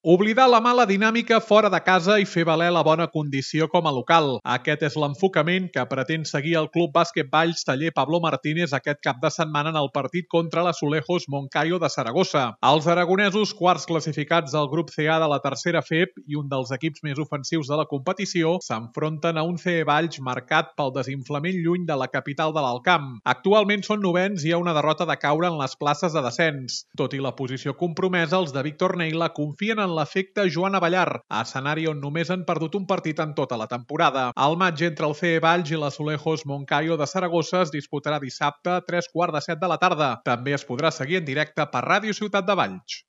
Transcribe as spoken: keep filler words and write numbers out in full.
Oblidar la mala dinàmica fora de casa i fer valer la bona condició com a local. Aquest és l'enfocament que pretén seguir el Club Bàsquet Valls Taller Pablo Martínez aquest cap de setmana en el partit contra l'Azulejos Moncayo de Saragossa. Els aragonesos, quarts classificats del grup C A de la tercera F E P i un dels equips més ofensius de la competició, s'enfronten a un C E Valls marcat pel desinflament lluny de la capital de l'Alcamp. Actualment són novens i hi ha una derrota de caure en les places de descens. Tot i la posició compromesa, els de Víctor Neila confien en l'efecte Joan Avellar, a escenari on només han perdut un partit en tota la temporada. El maig entre el C E Valls i l'Azulejos Moncayo de Saragossa es disputarà dissabte a tres quarts de set de la tarda. També es podrà seguir en directe per Ràdio Ciutat de Valls.